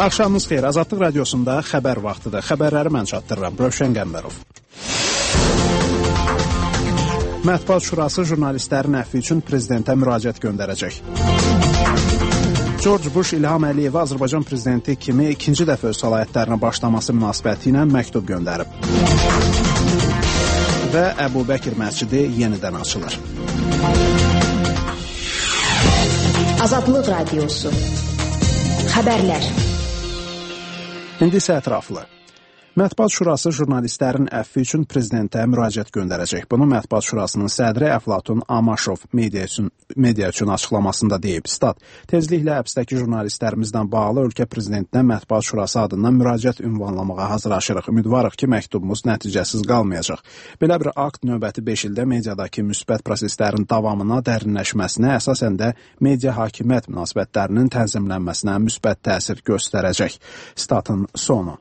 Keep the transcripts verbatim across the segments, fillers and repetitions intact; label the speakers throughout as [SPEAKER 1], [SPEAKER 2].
[SPEAKER 1] Axşamınız xeyir. Azadlıq radiosunda xəbər vaxtıdır. Xəbərləri mən çatdırıram. Rövşən Qəmbərov. Mətbuat Şurası jurnalistlərin əfvi üçün prezidentə müraciət göndərəcək. George Bush İlham Əliyevə Azərbaycan prezidenti kimi ikinci dəfə öz səlahiyyətlərinə başlaması münasibəti ilə məktub göndərib. Və Əbu Bəkir məscidi yenidən açılır.
[SPEAKER 2] Azadlıq Radiosu. Xəbərlər.
[SPEAKER 1] İndi isə ətraflı. Mətbuat Şurası jurnalistlərin əfvi üçün prezidentə müraciət göndərəcək. Bunu Mətbuat Şurasının sədri Əflatun Amaşov media üçün, media üçün açıqlamasında deyib. Stat, tezliklə həbsdəki jurnalistlərimizlə bağlı ölkə prezidentinə Mətbuat Şurası adından müraciət ünvanlamağa hazırlaşırıq. Ümidvarıq ki, məktubumuz nəticəsiz qalmayacaq. Belə bir akt növbəti beş ildə mediadakı müsbət proseslərin davamına, dərinləşməsinə, əsasən də media hakimiyyət münasibətlərinin tənzimlənməsinə müsbət təsir göstərəcək. Statın sonu.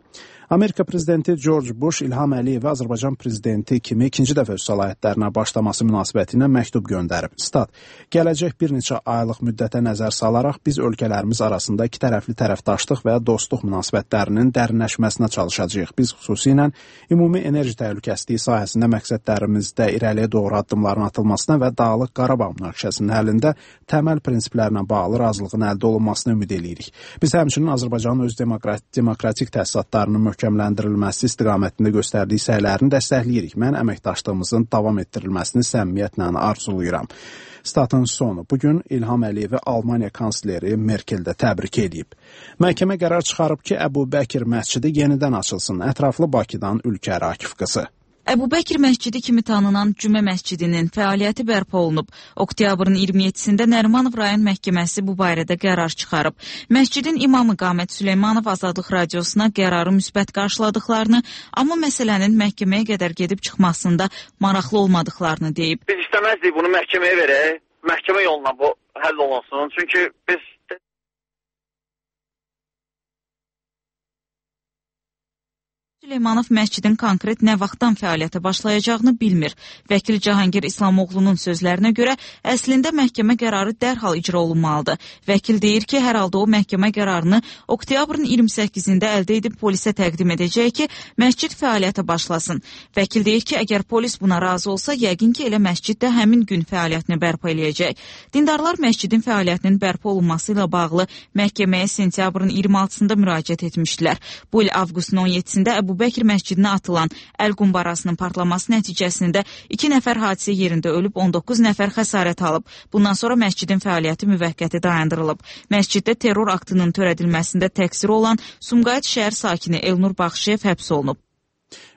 [SPEAKER 1] Amerika prezidenti George Bush İlham Əliyevə Azərbaycan prezidenti kimi ikinci dəfə öz səlahiyyətlərinə başlaması münasibəti ilə məktub göndərib. Stat, gələcək bir neçə aylıq müddətə nəzər salaraq biz ölkələrimiz arasında iki tərəfli tərəfdaşlıq və dostluq münasibətlərinin dərinləşməsinə çalışacağıq. Biz xüsusilə ümumi enerji təhlükəsizliyi sahəsində məqsədlərimizdə irəliyə doğru addımların atılmasına və Dağlıq Qarabağ münaqişəsinin həllində təməl prinsiplərinə bağlı razılığın əldə olunmasını ümid edirik. Biz həmçinin Azərbaycanın öz demokratik təsisatlarının möhkəmləndirilməsi istiqamətində göstərdiyi səylərini dəstəkləyirik. Mən əməkdaşlığımızın davam etdirilməsini səmimiyyətlə arzulayıram. Statın sonu. Bugün İlham Əliyevi Almaniya kansleri Merkel də təbrik edib. Məhkəmə qərar çıxarıb ki, Əbu Bəkir məscidi yenidən açılsın. Ətraflı Bakıdan Ülkər Akif qızı.
[SPEAKER 3] Əbu Bəkir məscidi kimi tanınan Cümə məscidinin fəaliyyəti bərpa olunub. Oktyabrın iyirmi yeddisində Nərimanov rayon məhkəməsi bu barədə qərar çıxarıb. Məscidin imamı Qamət Süleymanov Azadlıq radiosuna qərarı müsbət qarşıladıqlarını, amma məsələnin məhkəməyə qədər gedib çıxmasında maraqlı olmadıqlarını deyib.
[SPEAKER 4] Biz istəməzdik bunu məhkəməyə verək, məhkəmə yoluna bu həll olunsun. Çünki biz
[SPEAKER 3] Süleymanov məscidin konkret nə vaxtdan fəaliyyətə başlayacağını bilmir. Vəkil Cahangir İslamoğlu'nun sözlərinə görə əslində məhkəmə qərarı dərhal icra olunmalıdır. Vəkil deyir ki, hər halda o məhkəmə qərarını oktyabrın iyirmi səkkizində əldə edib polisə təqdim edəcək ki, məscid fəaliyyətə başlasın. Vəkil deyir ki, əgər polis buna razı olsa, yəqin ki, elə məscid də həmin gün fəaliyyətini bərpa eləyəcək. Dindarlar məscidin fəaliyyətinin bərpa olunması ilə bağlı məhkəməyə sentyabrın iyirmi altısında müraciət etmişdilər. Bu il avqustun on yeddisində Əbu Bəkir məscidinə atılan əl qumbarasının partlaması nəticəsində iki nəfər hadisə yerində ölüb, on doqquz nəfər xəsarət alıb. Bundan sonra məscidin fəaliyyəti müvəqqəti dayandırılıb. Məsciddə terror aktının törədilməsində təqsiri olan Sumqayıt şəhər sakini Elnur Baxşıyev həbs olunub.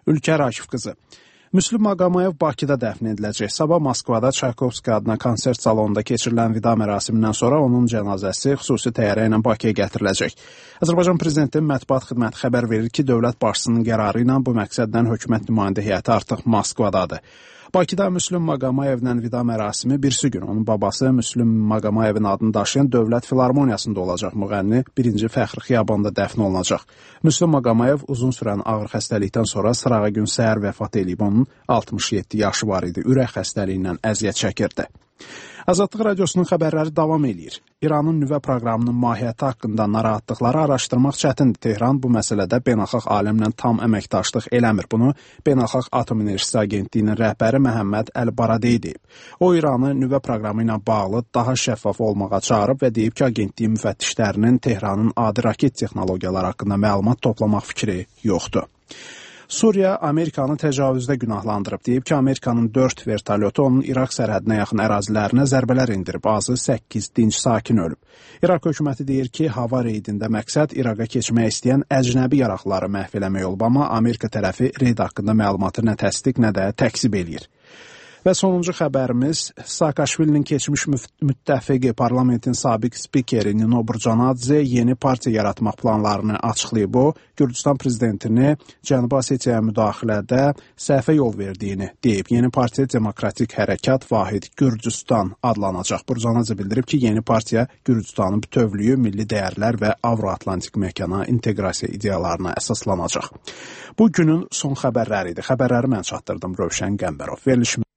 [SPEAKER 1] Ülkər Akif qızı. Müslüm Maqamayev Bakıda dəfn ediləcək. Sabah Moskvada Çaykovski adına konsert salonunda keçirilən vida mərasimindən sonra onun cənazəsi xüsusi təyyarə ilə Bakıya gətiriləcək. Azərbaycan prezidentinin mətbuat xidməti xəbər verir ki, dövlət başçısının qərarı ilə bu məqsəddən hökumət nümayəndə heyəti artıq Moskvadadır. Bakıda Müslüm Maqamayevlə vida mərasimi birisi gün onun babası Müslüm Maqamayevin adını daşıyan Dövlət Filarmoniyasında olacaq. Müğənni birinci Fəxri Xiyabanda dəfn olunacaq. Müslüm Maqamayev uzun sürən ağır xəstəlikdən sonra sırağa gün səhər vəfat edib. Onun altmış yeddi yaşı var idi. Ürək xəstəliyindən əziyyət çəkirdi. Azadlıq radiosunun xəbərləri davam edir. İranın nüvə proqramının mahiyyəti haqqında narahatlıqları araşdırmaq çətindir. Tehran bu məsələdə beynəlxalq aləmlə tam əməkdaşlıq eləmir. Bunu Beynəlxalq Atom Enerjisi Agentliyinin rəhbəri Məhəmməd Əl-Baradey deyib. O, İranı nüvə proqramı ilə bağlı daha şəffaf olmağa çağırıb və deyib ki, agentliyin müfəttişlərinin Tehranın adi raket texnologiyaları haqqında məlumat toplamaq fikri yoxdur. Suriya Amerikanı təcavüzdə günahlandırıb. Deyib ki, Amerikanın dörd vertolyotu onun İraq sərhədinə yaxın ərazilərinə zərbələr indirib. Azı səkkiz dinc sakin ölüb. İraq hökuməti deyir ki, hava reydində məqsəd İraqa keçmək istəyən əcnəbi yaraqları məhv eləmək olub, amma Amerika tərəfi reyd haqqında məlumatı nə təsdiq, nə də təkzib eləyir. Və sonuncu xəbərimiz Saakashvilinin keçmiş müttəfiqi parlamentin sabiq spikeri Nino Burcanadze yeni partiya yaratmaq planlarını açıqlayıb. O, Gürcüstan prezidentini Cənubi Osetiyaya müdaxilədə səhvə yol verdiyini deyib. Yeni partiya Demokratik Hərəkat Vahid Gürcüstan adlanacaq. Burcanadze bildirib ki, yeni partiya Gürcüstanın bütövlüyü, milli dəyərlər və Avro-Atlantik məkana inteqrasiya ideyalarına əsaslanacaq. Bu günün son xəbərləri idi. Xəbərləri mən çatdırdım, Rövşən Qəmbərov. Verilişimiz